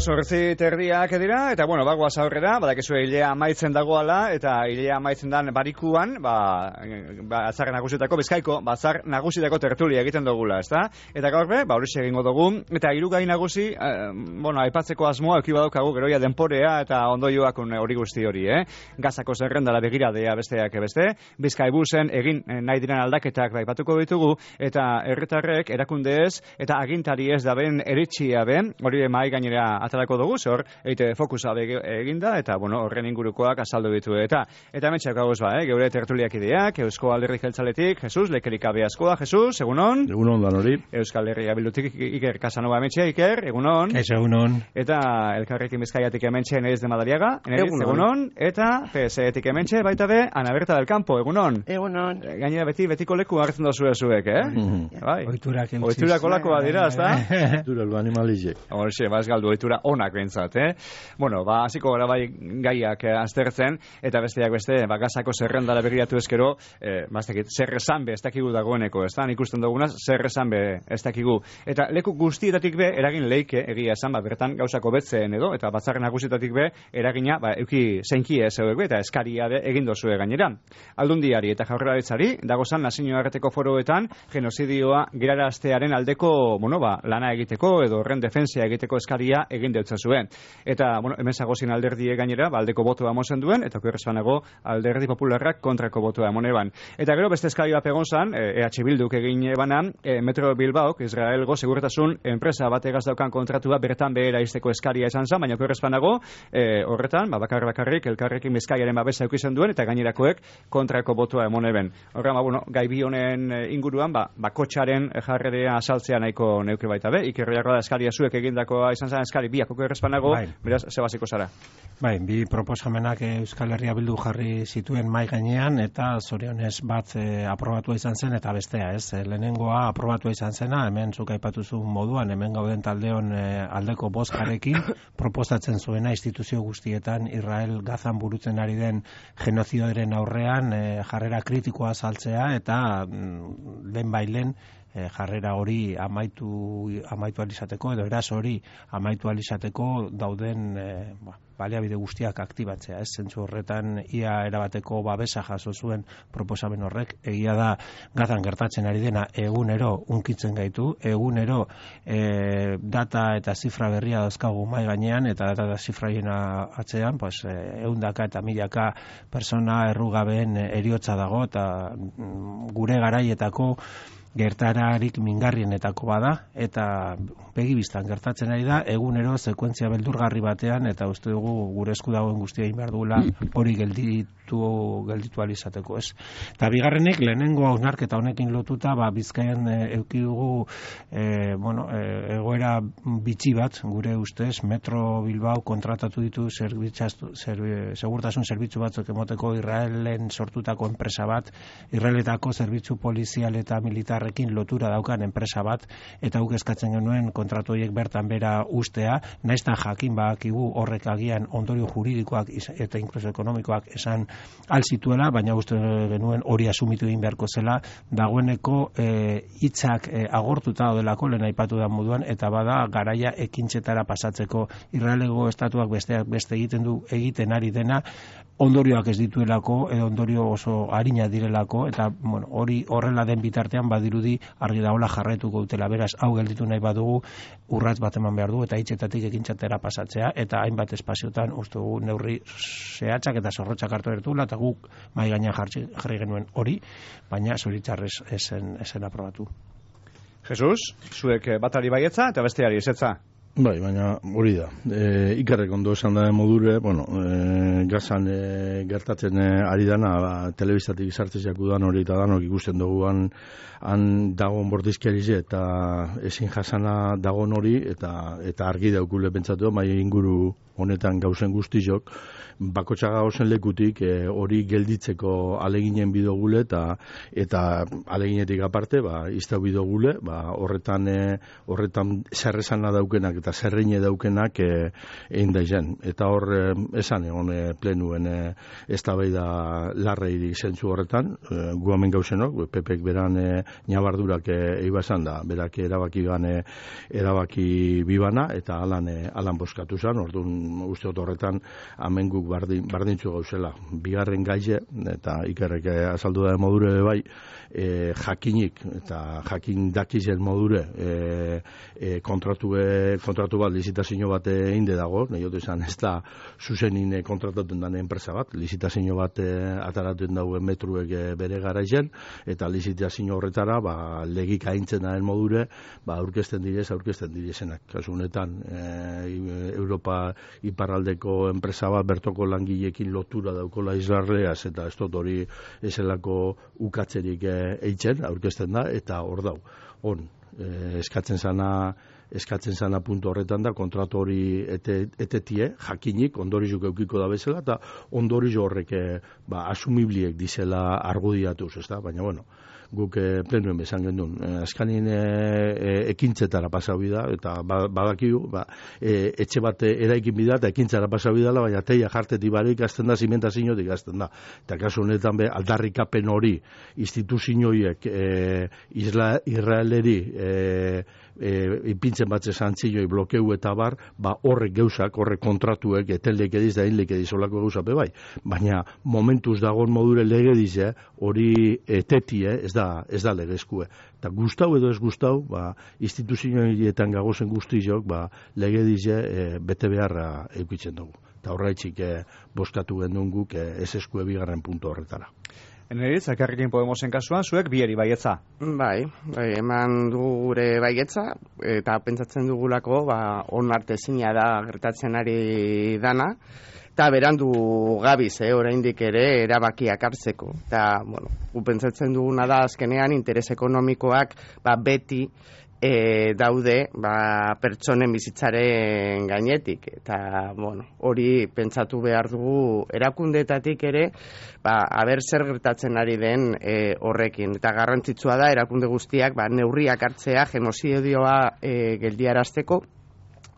Zortzi terdiak dira, eta bueno, bagoaz aurrera, badakizue hilea amaitzen dagoala, eta hilea amaitzen dan barikuan, batzar nagusietako, Bizkaiko, batzar nagusietako tertulia egiten dugula, ezta? Eta gaur be, horixe egingo dugu, eta hirugai nagusi, aipatzeko asmoa euki badaukagu geroia denporea eta ondoioak hori guzti hori, Gazako zerrendara begiradea besteak beste, Bizkaibusen egin nahi diren aldaketak aipatuko ditugu, eta herritarrek erakundeez eta agintari ez da ben eritxia ben, hori mahai gainera atalako dugu, zor, eite fokusa eginda, eta, bueno, horren ingurukoak azaldu ditu, eta metxak gauz geure tertuliak ideak, Eusko Alderdi Jeltzaletik, Jesus, lekerik abeazkoa, Jesus, egunon? Egunon, danori. Euskal Herria Bildutik, Iker Casanova emetxe, Iker, egunon? Egunon. Eta Elkarrekin Bizkaiatik emetxe, Neriz de Madariaga, Neriz, egunon? Eta PSEtik emetxe, baita be, Ana Berta del Campo, egunon? Egunon. Gainera betiko leku hartzen dozu ezuek, Oiturak olakoa dira, ezta? Oitura animalizek. Horxe, ez galdu, oitura onak behintzat, Bueno, hasiko gara bai gaiak aztertzen, eta besteak beste, Gazako zerrendara begiratu ezkero, zer esan be ez dakigu dagoeneko, ez da, ikusten duguna, zer esan be ez dakigu. Eta leku guztietatik be, eragin leike, egia esan, bertan gauzako betzen edo, eta batzarren nagusietatik be, eragina, euki zeinkie ez be, eta eskaria be egin dozue gainera. Aldundiari eta Jaurlaritzari, dagozan nazioarteko foroetan, genozidioa geraraztearen aldeko, lana egiteko, edo horren defensia egiteko eskaria egin deutza zuen. Eta, hemen zagozin alderdie gainera, aldeko botoa mozen duen, eta okerrezpanago alderdi popularrak kontrako botoa moneban. Eta gero beste eskari bat egon zan, EH Bilduk egin banan, Metro Bilbaok, Israelgo segurtasun enpresa bategaz daukan kontratua bertan behera izteko eskaria izan zan, baina okerrezpanago, horretan, bakarrik, Elkarrekin Bizkaiaren babesa eukizen duen, eta gainerakoek kontrako botoa emoneben. Horrean, gai bi honen inguruan, bakotxaren jarrerea asaltzea nahiko neuke baita be, Ikerriako da eskaria zuek egindakoa izan zan eskari biak okerrezpanago, beraz, zebaziko zara. Bi proposamenak Euskal Herria Bildu jarri zituen mai gainean, eta zorionez bat aprobatua izan zen, eta bestea, lehenengoa aprobatua izan zena, hemen zuk aipatuzu moduan, hemen gauden taldeon aldeko bozkarekin, proposatzen zuena instituzio guztietan Israel Gazan burutzen ari den genozidioaren aurrean jarrera kritikoa saltzea, eta lehen jarrera hori amaitu alizateko, edo eraz hori amaitu alizateko dauden baliabide guztiak aktibatzea, zentzu horretan ia erabateko babesa jaso zuen proposamen horrek. Egia da Gazan gertatzen ari dena egunero unkitzen gaitu, egunero data eta zifra berria dauzkagu mai gainean, eta data eta zifraien atzean, ehundaka eta milaka persona errugabeen heriotza dago, eta gure garaietako gertararik mingarrienetako bada, eta begibistan gertatzen ari da, egunero sekuentzia beldurgarri batean, eta uste dugu gure esku dagoen guztia egin behar dugula hori gelditu alizateko, Eta bigarrenik, lehenengo hausnarketa honekin lotuta, Bizkaian eduki dugu egoera bitxi bat, gure ustez, Metro Bilbao kontratatu ditu segurtasun zerbitzu batzuk emoteko Israelen sortutako enpresa bat, Israeletako zerbitzu polizial eta militar lotura daukan enpresa bat, eta guk eskatzen genuen kontratu horiek bertan bera ustea, naiztan jakin badakigu horrek agian ondorio juridikoak eta inkluso ekonomikoak esan alzituela, baina uste genuen hori asumitu egin beharko zela, dagoeneko hitzak agortuta daudelako lehen aipatu da moduan, eta bada garaia ekintzetara pasatzeko. Israelego estatuak beste egiten ari dena, ondorioak ez dituelako, edo ondorio oso arina direlako, eta hori horrela den bitartean badirudi argi dagoela jarraituko dutela. Beraz, hau gelditu nahi badugu, urrats bat eman behar du, eta hitzetatik ekintzatera pasatzea, eta hainbat espaziotan uste dugu neurri zehatzak eta zorrotzak hartu bertula, eta guk mai gainean jarri genuen hori, baina zoritzarrez esen aprobatu. Jesus, zuek batari baietza eta besteari ezetza? Bai, baina hori da. Ikerrek ondo esan da modure, gazan gertatzen ari dana, telebistatik sartzez jakudan hori eta danok ikusten dugu han dagoen bordizkiarize eta ezin jasana dagoen hori eta argi daukule pentsatu, mai inguru honetan gauzen guztizok, bakotxaga gauzen lekutik hori gelditzeko aleginen bidogule eta aleginetik aparte, iztau bidogule, horretan zerrezana daukenak eta zerreine daukenak egin daizen. Eta hor esan egon plenuen eztabaida larreirik zentzu horretan, gu hemen gauzenok, Pepek beran nabardurak eibasan da, berak erabaki bibana eta alan boskatu zen, orduan uste horretan hemen guk bardintzu gauzela. Bigarren gaize, eta Ikerrek azaldu da modure bai, jakinik eta jakin dakizen modure kontratu bat, lizitazio bat einde dago, nahi ote izan ez da zuzenin kontratuten den enpresa bat, lizitazio bat ataratuen dauen metruek bere garaizen, eta lizitazio horretara legik aintzen daren modure aurkezten direzenak. Kasu honetan Europa iparraldeko enpresa bat bertoko langileekin lotura daukola Israeleaz eta ez dut hori ezelako ukatzerik eitzen, aurkezten da, eta hor dau. Eskatzen zana puntu horretan da, kontratu hori etetie, jakinik, ondorizuk eukiko da bezala, eta ondorizu horrek asumibliek dizela argudiatuz, ez da? Baina, guk plenuen bezan gendun. Azkanien ekintzetara pasau bida, eta badakigu, etxe bat eraikin bida, eta ekintzara pasau bidala, baina teia jartetik barik azten da, zimentaziotik azten da. Eta kasu honetan aldarrikapen hori instituzioiek Israeleri ipintzen batze zantzioi blokeu eta bar, horrek geuzak, horrek kontratuek, eteldeik ediz da hinleik ediz olako geuzape bai. Baina momentuz dagoen modure lege dize, hori etetie, ez da legezkue. Eta gustau edo ez gustau, instituzioetan gagozen guztiok, lege dize bete beharra eukitzen dugu. Eta horreitzik boskatu gendun guk ez eskue bigarren puntu horretara. Eneritz, Elkarrekin Podemosen kasuan, zuek bieri baietza. Bai, eman du gure baietza, eta pentsatzen dugulako, onartezina da gertatzen ari dana, eta berandu gabiz, oraindik ere erabakiak hartzeko. Eta, pentsatzen duguna da, azkenean, interes ekonomikoak beti daude pertsonen bizitzaren gainetik, eta hori pentsatu behar dugu erakundeetatik ere aber zer gertatzen ari den horrekin, eta garrantzitsua da erakunde guztiak neurriak hartzea genozidioa geldiarazteko,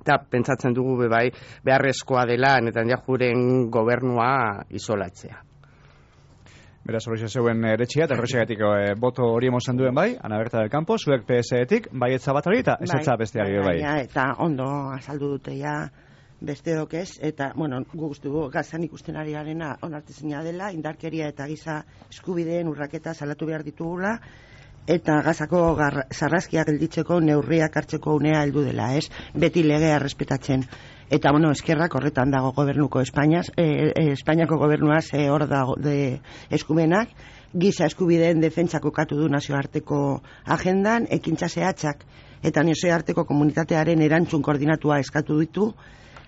eta pentsatzen dugu beharrezkoa dela Netanyahuren gobernua isolatzea. Beraz, hori zeuen eretxia, eta horrexegatik boto hori emozan duen bai, Ana Berta del Campo, zuek PSE-etik, baietza bat hori, eta ezetza besteari bai. Eta ondo azaldu dute besteok ez, eta, guztu gazan ikusten ari garena onartezina dela, indarkeria eta giza eskubideen urraketa salatu behar ditugula, eta gazako sarraskiak gelditzeko neurriak hartzeko unea heldu dela, ez? Beti legea respetatzen. Eta, eskerrak horretan dago gobernuko Espainiako gobernua hor dago de eskumenak, giza eskubideen defentsako katu du nazioarteko agendan, ekintza zehatzak eta nazioarteko komunitatearen erantzun koordinatua eskatu ditu,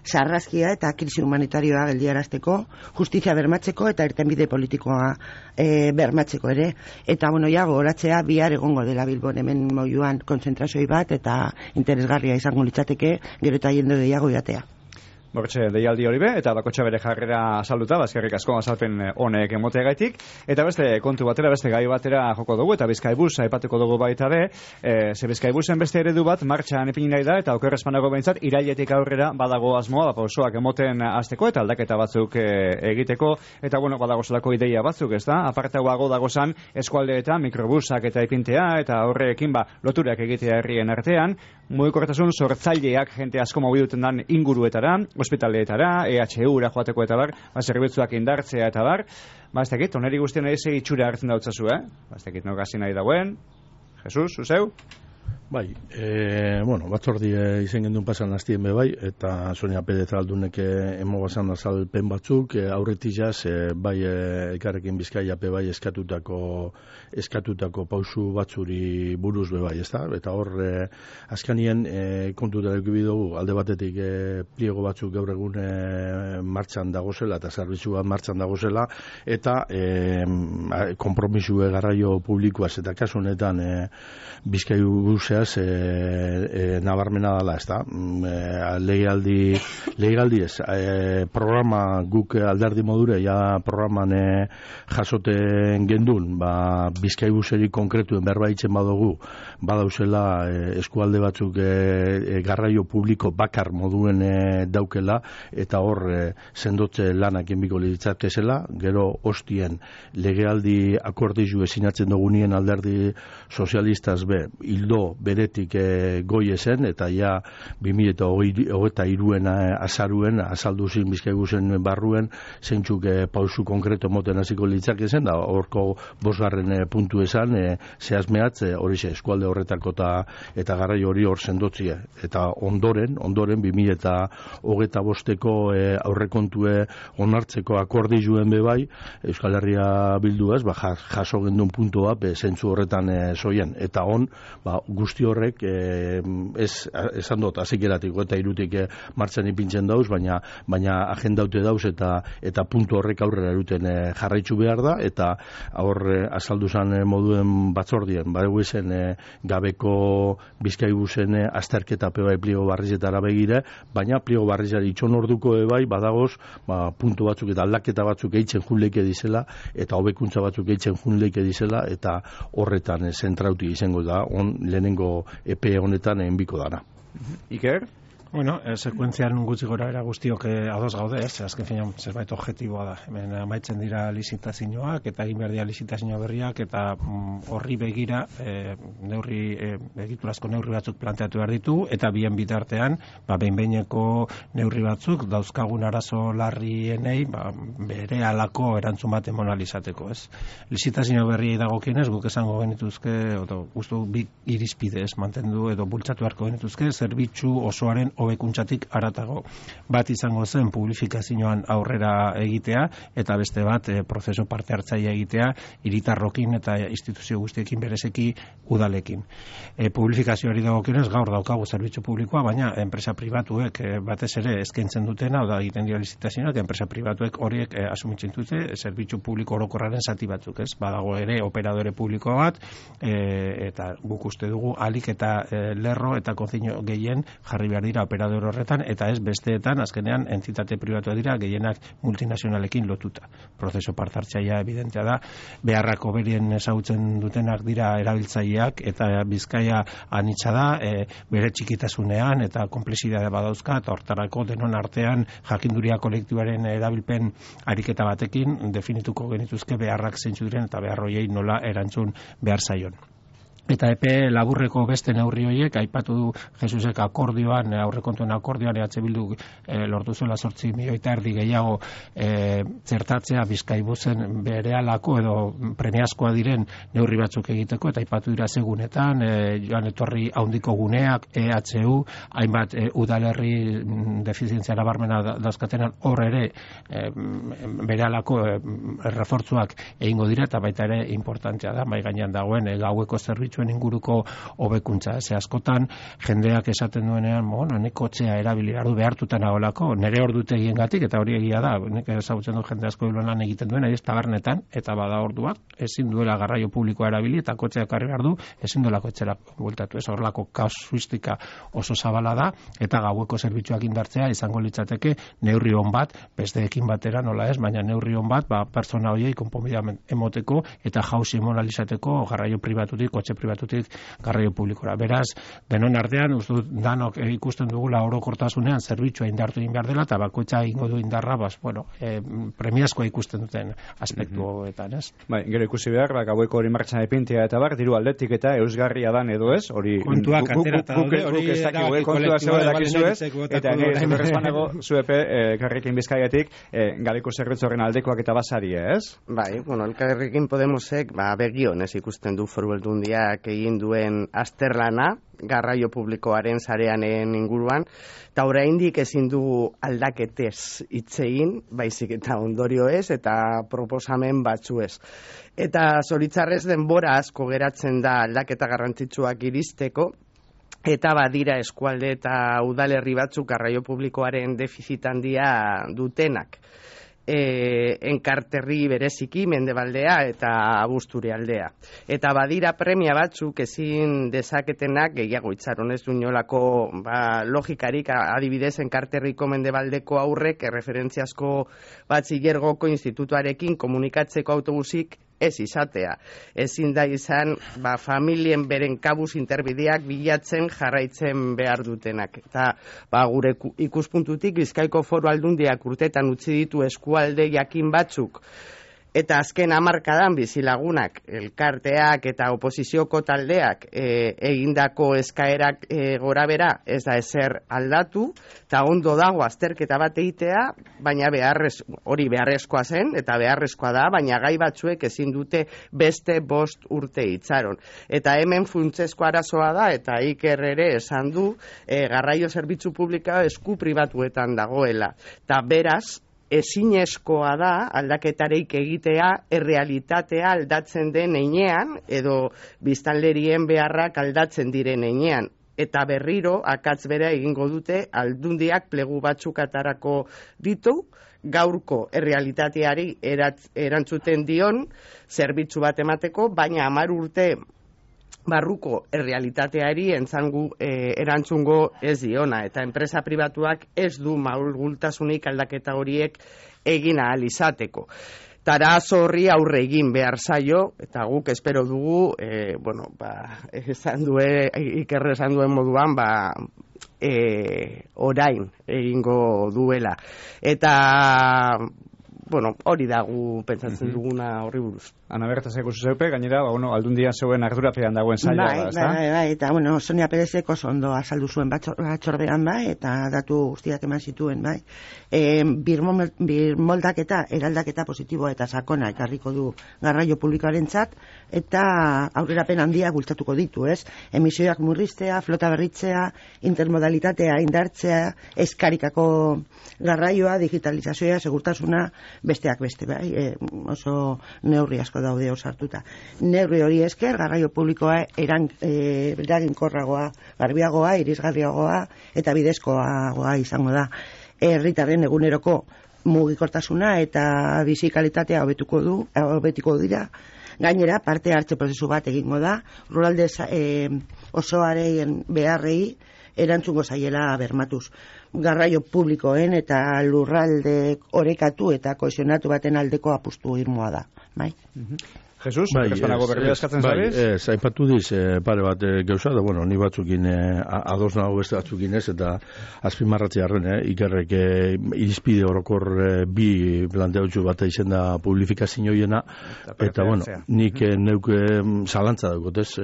sarraskia eta krisi humanitarioa geldiarazteko, justizia bermatzeko eta irtenbide politikoa bermatzeko ere. Eta, goratzea bihar egongo dela Bilbon hemen moiuan konzentrazioi bat eta interesgarria izango litzateke gero eta jende gehiago jatea. Bortxe, deialdi hori be, eta bakotxa bere jarrera salduta, bazkerrik asko azalpen honek emoteagaitik, eta beste kontu batera, beste gai batera joko dugu, eta Bizkaibus aipatuko dugu baita be, ze Bizkaibusen beste eredu bat martxan ipini nahi da, eta oker espanago behintzat, irailetik aurrera badago asmoa, pausoak emoten hasteko eta aldaketa batzuk egiteko, eta badago zelako ideia batzuk, ez da? Apartagoago dagozan eskualdeetan mikrobusak eta ipintea, eta horrekin loturak egitea herrien artean, mugikortasun sortzaileak jente asko mobiduten dan inguruetara, ospitaleetara, EHU-ra joateko eta bar, zerbitzuak indartzea eta bar, ez dakit, oneri guztien egizei itxura hartzen dautzazu, ez dakit, no gazi nahi dauen, Jesus, zuzeu? Bai, batzordia izen gendun pasan hastien bai, eta Sonia Perez aldunek emogazan azalpen batzuk, aurretik jaz, bai Elkarrekin Bizkaia bai eskatutako pausu batzuri buruz bai, ezta? Eta hor, azkanien kontuta dugu alde batetik pliego batzuk gaur egun martxan dagozela, eta zerbitzua martxan dagozela, eta konpromisue garraio publikoaz, eta kasu honetan Bizkaiu guzea nabarmena dela, ez da? Lehigaldi ez. Programa guk alderdi modure, programan jasoten gendun, Bizkaibuseri konkretuen berbaitzen badugu, badauzela eskualde batzuk garraio publiko bakar moduen daukela, eta hor sendotze lanak enbiko litzatkezela, gero hostien legealdi akordizu esinatzen dugunien alderdi sozialistaz hildo beretik goi esen, eta ja 2023 azaruen, azalduzin Bizkaigusen barruen, zeintzuk pausu konkreto moten hasiko litzak ezen, da horko 5. puntu esan, zehazmeatz, horixe, eskualde horretako eta garraio hori hor sendotzia. Eta ondoren 2025 aurrekontue onartzeko akordizuen bebai, Euskal Herria Bilduaz, jaso gendun puntua, zentzu horretan zoien. Eta guzti horrek esan dut azikeratiko eta irutik martxan ipintzen dauz, baina agendaute dauz eta puntu horrek aurrera eruten jarraitzu behar da, eta hor azalduzan moduen batzordien, badegu ezen gabeko Bizkaibusen azterketa bai pliego barrizetara begire, baina pliego barrizari itxon orduko bai badagoz puntu batzuk eta aldaketa batzuk eitzen junleike dizela, eta hobekuntza batzuk eitzen junleike dizela, eta horretan zentrauti izango da, lehenengo epe honetan enbiko dana. Iker? Bueno, sekuentzian gutxi gora era guztiok ados gaude, azken finean zerbait objektiboa da. Hemen amaitzen dira lizitazioak eta egin behar dira lizitazio berriak, eta horri begira egiturazko neurri batzuk planteatu behar ditu, eta bien bitartean behin-behineko neurri batzuk dauzkagun arazo larrienei bere alako erantzun bat emonalizateko, ez? Lizitazio berriei dagokienez guk esango genituzke, guztu bi irizpide mantendu edo bultzatu beharko genituzke, zerbitzu osoaren hobekuntzatik haratago. Bat izango zen publifikazioan aurrera egitea, eta beste bat prozesu parte hartzaile egitea hiritarrokin eta instituzio guztiekin berezeki udalekin. Publifikazioari dagokionez gaur daukagu zerbitzu publikoa, baina enpresa pribatuek batez ere eskaintzen dutena, oda egiten dira lizitazioak, enpresa pribatuek horiek asumitzen dute zerbitzu publiko orokorraren zati batzuk, ez? Badago ere operadore publiko bat, eta guk uste dugu alik eta lerro eta konzino gehien jarri behar dira operador horretan, eta ez besteetan azkenean entitate pribatua dira gehienak multinazionalekin lotuta. Prozeso partartzailea evidentea da, beharrako berien ezagutzen dutenak dira erabiltzaileak, eta Bizkaia anitza da, bere txikitasunean eta konplexidadea badauzka, eta hortarako denon artean jakinduria kolektibaren erabilpen ariketa batekin definituko genituzke beharrak zeintzu diren eta beharroiei nola erantzun behar zaion. Eta epe laburreko beste neurri horiek, aipatu du Jesusek akordioan, aurrekontuen akordioan, Bildu lortu zuela 8,5 milioi gehiago zertatzea Bizkaibusen berehalako edo premiazkoa diren neurri batzuk egiteko, eta aipatu dira segunetan, joan etorri handiko guneak, EHU, hainbat udalerri defizientzia nabarmena dauzkatenan hor ere berehalako refortzuak egingo dira, eta baita ere importantea da, mai gainean dagoen gaueko zerbitzuen inguruko hobekuntza. Ze askotan jendeak esaten duenean, nik kotxea erabili behartuta nagoelako, nire ordutegiengatik, eta hori egia da, nik ezagutzen du jende asko lan egiten duen, ez tabernetan, eta bada orduak, ezin duela garraio publikoa erabili, eta kotxea karri behar du, ezin duela kotxera bueltatu, ez horrelako kasuistika oso zabala da, eta gaueko zerbitzuak indartzea izango litzateke neurri on bat, besteekin batera nola ez, baina neurri on bat, pertsona horiei konponbidea emoteko, eta jauzi emonalizateko garraio pribatutik, kotxe pribatutik garraio publikora. Beraz, denon artean, danok ikusten dugula orokortasunean zerbitzua indartu egin behar dela, eta bakoitza egingo du indarra, premiazkoa ikusten duten aspektuetan, ez? Bai, gero ikusi behar, gaueko hori martxan epintea eta diru aldetik eta eusgarria dan edo ez, hori kontuak aterata daude, hori ez dakigu, kontua zeu dakizu ez, eta nire zuberrezpanago zuepe Elkarrekin Bizkaiatik gabeko zerbitzu horren aldekoak eta basaria, ez? Bai, Elkarrekin Podemosek begionez ikusten du Foru Aldundia berak egin duen azterlana, garraio publikoaren sareanen inguruan, eta oraindik ezin dugu aldaketez hitz egin, baizik eta ondorioez eta proposamen batzuez. Eta zoritzarrez denbora asko geratzen da aldaketa garrantzitsuak iristeko, eta badira eskualde eta udalerri batzuk garraio publikoaren defizit handia dutenak. Enkarterri bereziki Mendebaldea eta Abusturi aldea. Eta badira premia batzuk ezin dezaketenak gehiago itxaron ez du inolako logikarik, adibidez Enkarterriko Mendebaldeko aurrek erreferentziazko batxilergoko institutuarekin komunikatzeko autobusik ez izatea. Ezin da izan familien beren kabuz interbideak bilatzen jarraitzen behar dutenak. Eta gure ikuspuntutik Bizkaiko Foru Aldundiak urtetan utzi ditu eskualde jakin batzuk, eta azken hamarkadan bizilagunak, elkarteak eta oposizioko taldeak egindako eskaerak gorabera ez da ezer aldatu, eta ondo dago azterketa bat egitea, baina hori beharrezkoa zen, eta beharrezkoa da, baina gai batzuek ezin dute beste 5 urte itxaron. Eta hemen funtsezko arazoa da, eta Iker ere esan du, garraio zerbitzu publikoa esku pribatuetan dagoela. Eta beraz, ezinezkoa da aldaketareik egitea errealitatea aldatzen den heinean edo biztanlerien beharrak aldatzen diren heinean. Eta berriro akats bera egingo dute aldundiak plegu batzuk atarako ditu, gaurko errealitateari erantzuten dion zerbitzu bat emateko, baina 10 urte barruko errealitateari erantzungo ez diona, eta enpresa pribatuak ez du malgultasunik aldaketa horiek egin ahal izateko. Arazo horri aurre egin behar zaio, eta guk espero dugu, Iker esan duen moduan, orain egingo duela. Eta hori da gu pentsatzen duguna horri buruz. Ana Berta zekusi zeupe, gainera, aldundia zeuen ardurapean dagoen zaila da, ezta? Bai, eta, Sonia Perezek oso ondo azaldu zuen batzordean, eta datu guztiak eman zituen, bai. Birmoldaketa, eraldaketa positiboa eta sakona ekarriko du garraio publikoarentzat, eta aurrerapen handia bultzatuko ditu, ez? Emisioak murriztea, flota berritzea, intermodalitatea indartzea, eskarikako garraioa, digitalizazioa, segurtasuna, besteak beste, bai, oso neurri asko daude osartuta. Neurri hori esker, garraio publikoa eraginkorragoa, garbiagoa, irisgarriagoa eta bidezkoagoa izango da. Herritarren eguneroko mugikortasuna eta bizi kalitatea hobetuko dira. Gainera, parte hartze prozesu bat egingo da, lurralde osoaren beharrei erantzungo zaiela bermatuz. Garraio publikoen eta lurralde orekatu eta kohesionatu baten aldeko apustu irmoa da. Bai? Jesus, espanago berria eskatzen zabiz? Aipatu diz, pare bat gauza, da, ni batzukin ados nago beste batzukin ez, eta azpimarratzi harren, Ikerrek irizpide orokor bi planteatzu bat izen da publifikazioiena, eta nik neuk zalantza daukot ez,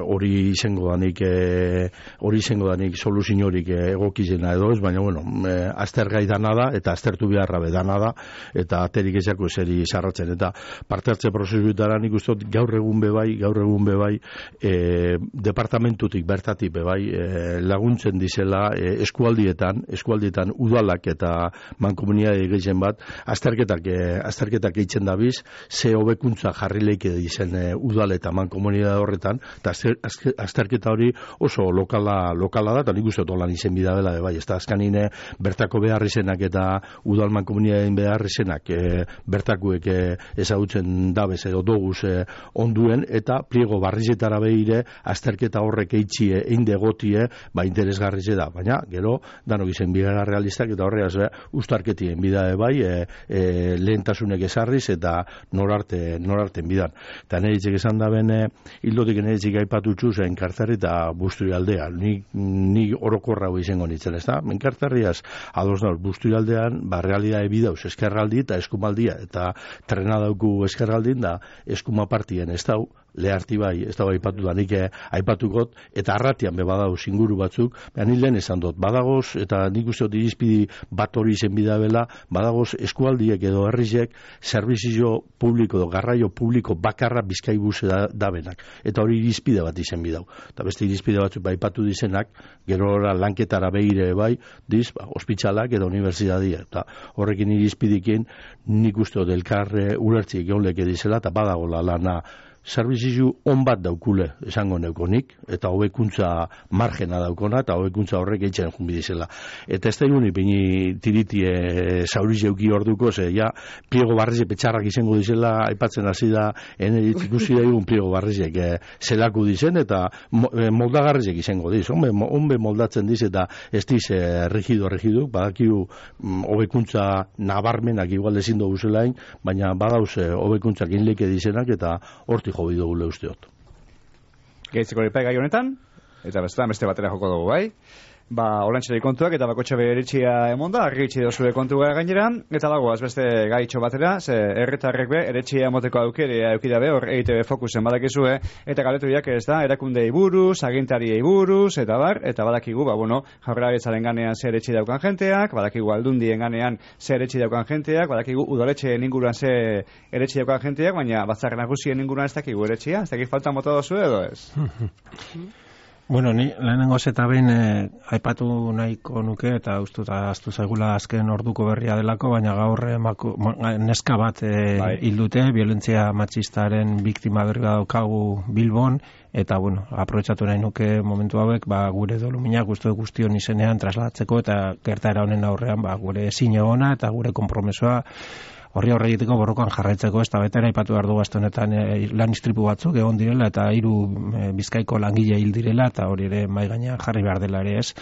hori izango da nik soluzin horik egokizena edo ez, baina aztergai dana da, eta aztertu beharra bedana da, eta aterik ezako eseri sarratzen, eta parte hartze prozesu nik ustot gaur egun bebai departamentutik bertatik bebai laguntzen dizela eskualdietan udalak eta mankomunitate gehien bat azterketak eitzen dabiz ze hobekuntza jarri leike dizen udal eta mankomunitate horretan, eta azterketa hori oso lokala da, eta nik ustot holan izen bidabela bebai, ez da azkanine bertako behar izenak eta udal mankomunitateen behar izenak bertakuek ezagutzen dabez edo doguz onduen, eta pliego barrizetara behire azterketa horrek eitxie einde gotie, interesgarrize da, baina gero danok izen bigara realistak eta horreaz ustarketien bidae bai lehentasunek esarriz eta norarten bidan. Eta neritzek esan da ben hildotik neritzek aipatutxu zen Enkarterri eta Busturi aldea, ni orokorra izango nintzen, ez da? Enkarterriaz ados nauz, Busturi aldean realidade bidauz eskerraldi eta eskumaldia, eta trena dauku eskerraldin da eskuma partien ez dau, Leharti bai, ez dago aipatu da, nik aipatugot, eta arratian be badago inguru batzuk, ni lehen esan dut, badagoz, eta nik uste dut irizpidi bat hori izen bidabela, badagoz eskualdiek edo herrizek zerbizio publiko edo garraio publiko bakarra Bizkaibus da benak, eta hori irizpide bat izen bidau, eta beste irizpide batzuk aipatu dizenak, gero lanketara behire bai, ospitalak edo unibertsitatea, eta horrekin irizpidikin nik uste dut elkar ulertzik egon leke dizela, eta badagola lana zerbizio on bat daukule, esango neukonik, eta hobekuntza margena daukona, eta hobekuntza horrek eitzen junbidizela. Eta ez da egun ipini tiritie zauriz euki orduko, ja, pliego barrizek petxarrak izango dizela, aipatzen hasi da, eneritz ikusi da egun pliego barrizek zelaku dizen, eta moldagarrizek izango diz, onbe moldatzen diz, eta ez diz rigido, badakiu hobekuntza nabarmenak igual ezin dugu zelain, baina badauz hobekuntzak inleke dizenak, eta hortik jobi dugule usteot. Gehitzeko lipai gai honetan, eta beste batera joko dugu, bai? Olantxerei kontuak eta bakotxe beritxia emonda, argitxi dozue kontua gainera, eta dagoaz beste gaitxo batera, ze erretarrek be, eretxia emoteko aukere eukidabe, hor EITB Fokusen badakizue, eta galetuiak ez da, erakundei buruz, agintariei buruz, eta badakigu, jaurlaritzaren ganean ze eretxi daukan jenteak, badakigu aldundien ganean ze eretxi daukan jenteak, badakigu udaletxeen inguruan ze eretxi daukan jenteak, baina batzar nagusien inguruan ez dakigu eretxia, ez dakik falta mota dozu edo ez? Bueno, ni lehenengo eta behin aipatu nahiko nuke eta astu zaigula azken orduko berria delako, baina gaur neska bat hil dute, violentzia matxistaren biktima berri daukagu Bilbon, eta aprobetxatu nahi nuke momentu hauek, gure doluminak guztion izenean trasladatzeko eta gertaera honen aurrean gure zine ona eta gure konpromesoa horri egiteko borrokan jarraitzeko, ez da betera aipatu behar du gazte honetan lan istripu batzuk egon direla eta 3 Bizkaiko langile hil direla eta hori ere mai gainean jarri behar dela ere ez.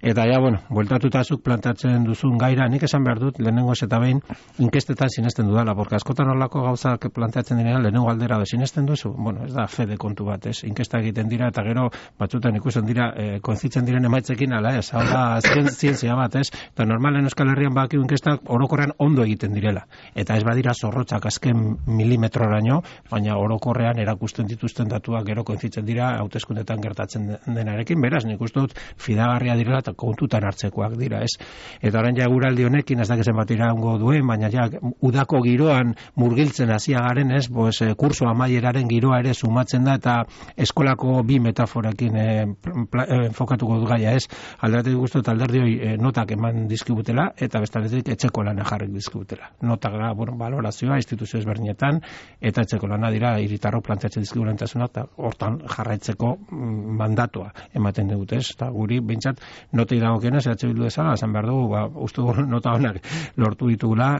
Eta bueltatuta zuk plantatzen duzun gaira, nik esan behar dut lehenengoz eta behin inkestetan sinesten dudala, porque askotan horlako gauzak planteatzen direnean lehenengo aldera sinesten duzu, ez da fede kontu bat, ez, inkesta egiten dira eta gero batzutan ikusten dira konzitzen diren emaitzekin ala ez, hau da azken zientzia bat, ez, eta normalen Euskal Herrian bakiu inkestak orokorrean ondo egiten direla. Eta ez badira zorrotzak azken milimetroraino, baina orokorrean erakusten dituzten datuak gero kointzitzen dira hauteskundetan gertatzen denarekin, beraz, nik uste dut fidagarria direla eta kontutan hartzekoak dira, ez? Eta orain guraldi honekin ez dakizen bat iraungo duen, baina udako giroan murgiltzen hasia garen, ez? Kurso amaieraren giroa ere sumatzen da eta eskolako bi metaforekin enfokatuko dut gaia, ez? Alderdi guztu eta alderdioi notak eman dizkibutela eta bestaldetik etxeko lana jarrik dizkibutela. Notak valorazioa instituzio ezberdinetan eta etxeko lana dira hiritarrok planteatzen dizkigulentasunea eta hortan jarraitzeko mandatua ematen dut, ez? Eta guri behintzat notei dagokienez Bildu bezala esan behar dugu, uste dugu nota honak lortu ditugula,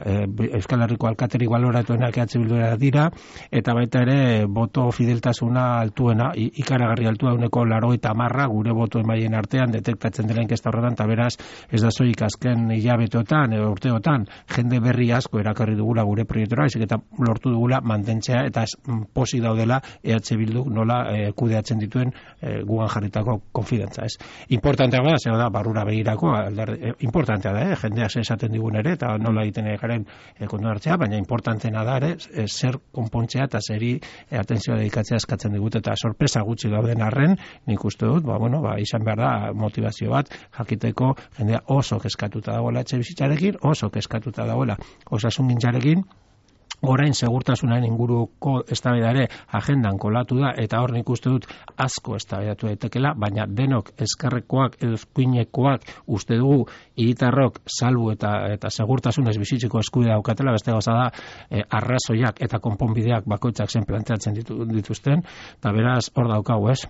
Euskal Herriko alkaterik baloratuenak Bildura dira eta baita ere boto fideltasuna altuena, ikaragarri altua 80% gure boto emaien artean detektatzen dela inkesta horretan, eta beraz ez da soilik azken hilabetotan edo urteotan jende berri asko erakarri dugula gure proiektura, eta lortu dugula mantentzea eta posi daudela Bildu nola kudeatzen dituen gugan jarritako konfidentza, ez. Importantea da, zer da, barrura begirako, importantea da, jendeak esaten digun ere, eta nola egiten garen kontu hartzea, baina importantena da ere, zer konpontzea eta zeri atentzioa dedikatzea eskatzen digut, eta sorpresa gutxi dauden arren, nik uste dut, izan behar da motivazio bat, jakiteko jendea oso keskatuta dagoela etxe bizitzarekin, oso keskatuta dagoela osasun gintzarekin, orain segurtasunaren inguruko eztabaida ere agendan kolatu da eta hor nik uste dut asko eztabaidatu daitekela, baina denok ezkerrekoak edo eskuinekoak uste dugu hiritarrok salbu eta segurtasunez bizitzeko eskubidea daukatela, beste gauza da arrazoiak eta konponbideak bakoitzak zen planteatzen dituzten, eta beraz hor daukagu, ez?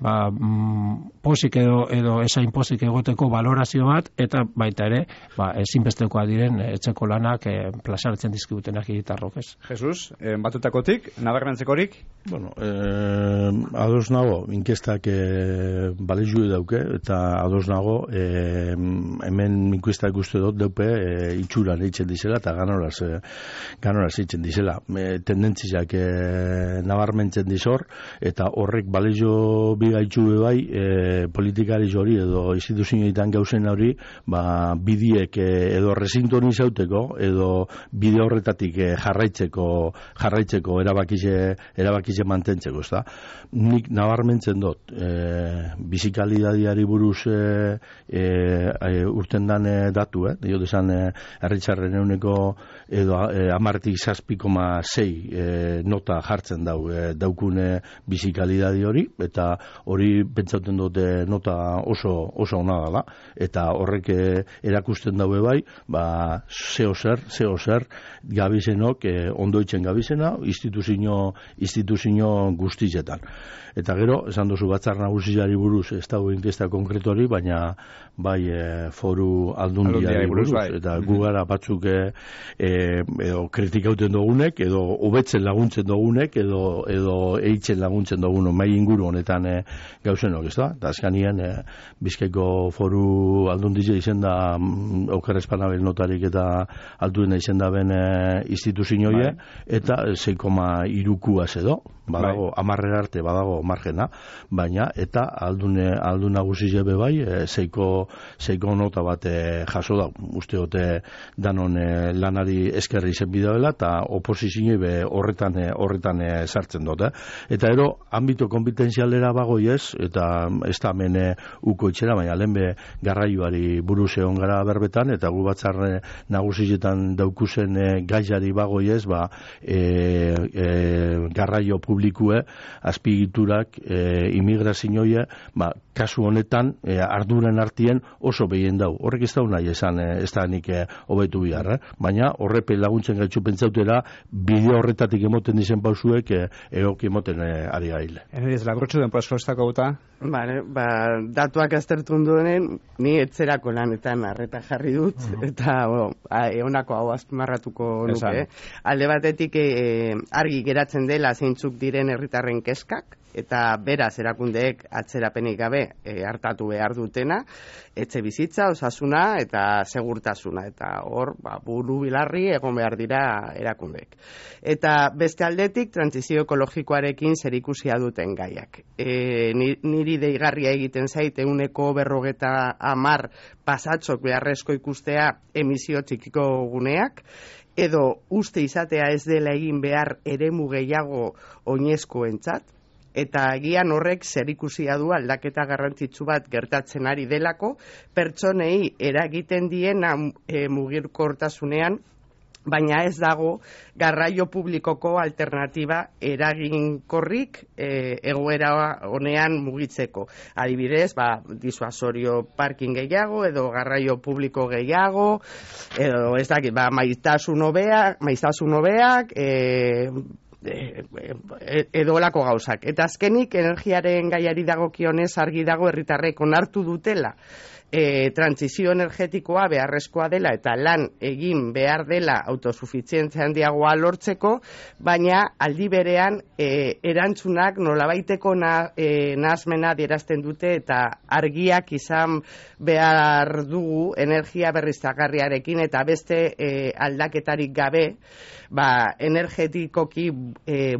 Pozik edo esain pozik egoteko valorazio bat eta baita ere ezinbestekoa diren etxeko lanak plazaratzen dizkigutenak hiritarrok, ez? Jesus, batutakotik, nabarmentzekorik? Ados nago, inkestak balezue dauke, eta ados nago, hemen inkestak uste dut daupe itxuran eitzen dizela, eta ganoraz eitzen dizela. Tendentziak nabarmentzen dizor, eta horrek balezio bigaitxue bai, politikari hori edo instituzioetan gauzen hori, bidiek edo resintonizateko, edo bide horretatik jarraitzeko jarraitzeko erabakize mantentzeko, ezta? Nik nabarmentzen dut bizikalidadiari buruz urten dan datu, dio desan herritarren ehuneko edo 10,6 nota jartzen daukune bizikalidadi hori, eta hori pentsatzen dute nota oso ona dela, eta horrek erakusten daue bai, zeo zer gabizenok ondoitzen gabizena instituzio guztietan. Eta gero, esan duzu Batzar Nagusiari buruz, ez dago inkesta konkretori, baina bai foru aldundiari buruz, eta gu gara batzuk edo kritikauten dugunek, edo hobetzen laguntzen dugunek, edo eitzen laguntzen dugunek, mai inguru honetan gauzenok, ez da? Eta azkanien Bizkaiko foru aldundia izen da Oker Espanabel notarik eta altuena izen da ben instituzioie, eta 6,3 edo, badago, 10 arte badago margena, baina, eta aldun nagusi jebe bai, 6 nota bat jaso da, uste dute danon lanari eskerri zen bideoela, eta oposizioi be horretan sartzen dute. Eta ero, ambito kompetentzialera bagoi ez, eta ez da hemen uko itxera, baina lehen be garraioari buruz egon gara berbetan, eta gu Batzar Nagusietan daukuzen gaiari bagoi ez, garraio publikue, azpigiturak, imigrazioie, kasu honetan, arduren artien oso behien dau. Horrek ez dau nahi esan, ez da nik hobetu bihar, baina horrepe laguntzen gaitzu pentsautera, bideo horretatik emoten dizen pausuek, egoki emoten ari gaile. Eneriz, lagrotxu den paskostako guta? Datuak aztertu duenen, ni etzerako lanetan arreta jarri dut, eta egonako hau azpimarratuko nuke. Alde batetik argi geratzen dela zeintzuk diren herritarren kezkak, eta beraz erakundeek atzerapenik gabe hartatu behar dutena, etxe bizitza, osasuna eta segurtasuna, eta hor buru bilarri egon behar dira erakundeek. Eta beste aldetik, trantsizio ekologikoarekin zerikusia duten gaiak. Niri deigarria egiten zait, 150 pasatzok beharrezko ikustea emisio txikiko guneak, edo uste izatea ez dela egin behar eremu gehiago oinezkoentzat, eta egian horrek zerikusia du aldaketa garrantzitsu bat gertatzen ari delako, pertsonei eragiten diena mugirkortasunean, baina ez dago garraio publikoko alternatiba eraginkorrik egoera honean mugitzeko. Adibidez, disuasorio parking gehiago, edo garraio publiko gehiago, edo ez dakit, maiztasun hobeak, edo olako gauzak. Eta azkenik, energiaren gaiari dagokionez argi dago herritarrek onartu dutela trantsizio energetikoa beharrezkoa dela eta lan egin behar dela autosufizientzia handiagoa lortzeko, baina aldi berean erantzunak nolabaiteko nahasmena adierazten dute eta argiak izan behar dugu energia berriztagarriarekin eta beste aldaketarik gabe energetikoki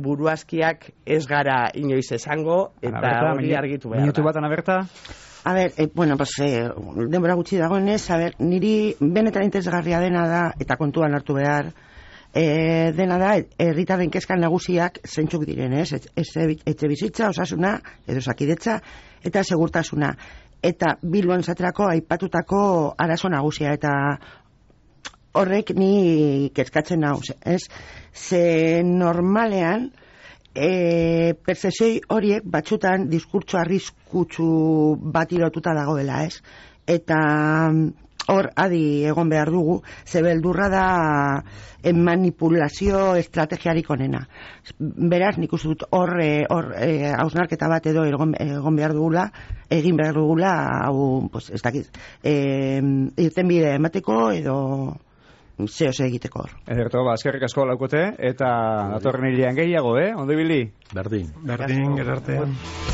buruazkiak ez gara inoiz esango eta hori argitu behar da. Minutu bat, Ana Berta? A ber, denbora gutxi dagoenez, niri benetan interesgarria dena da, eta kontuan hartu behar, dena da, herritarren kezkan nagusiak zeintzuk diren, etxe bizitza, osasuna, edo osakidetza, eta segurtasuna. Eta Bilbon zaterako aipatutako arazo nagusia, eta horrek ni kezkatzen nau, ze normalean, percepzioi horiek batzutan diskurtso arriskutsu bat lotuta dagoela, eta hor adi egon behar dugu, ze beldurra da manipulazio estrategiarik onena. Beraz, nik uste dut hor hausnarketa bat edo egin behar dugula, hau, ez dakit, irtenbide emateko edo zehose egiteko hor. Ederto, eskerrik asko laukote, eta datorren hilean gehiago, ondo ibili? Berdin, gerarte.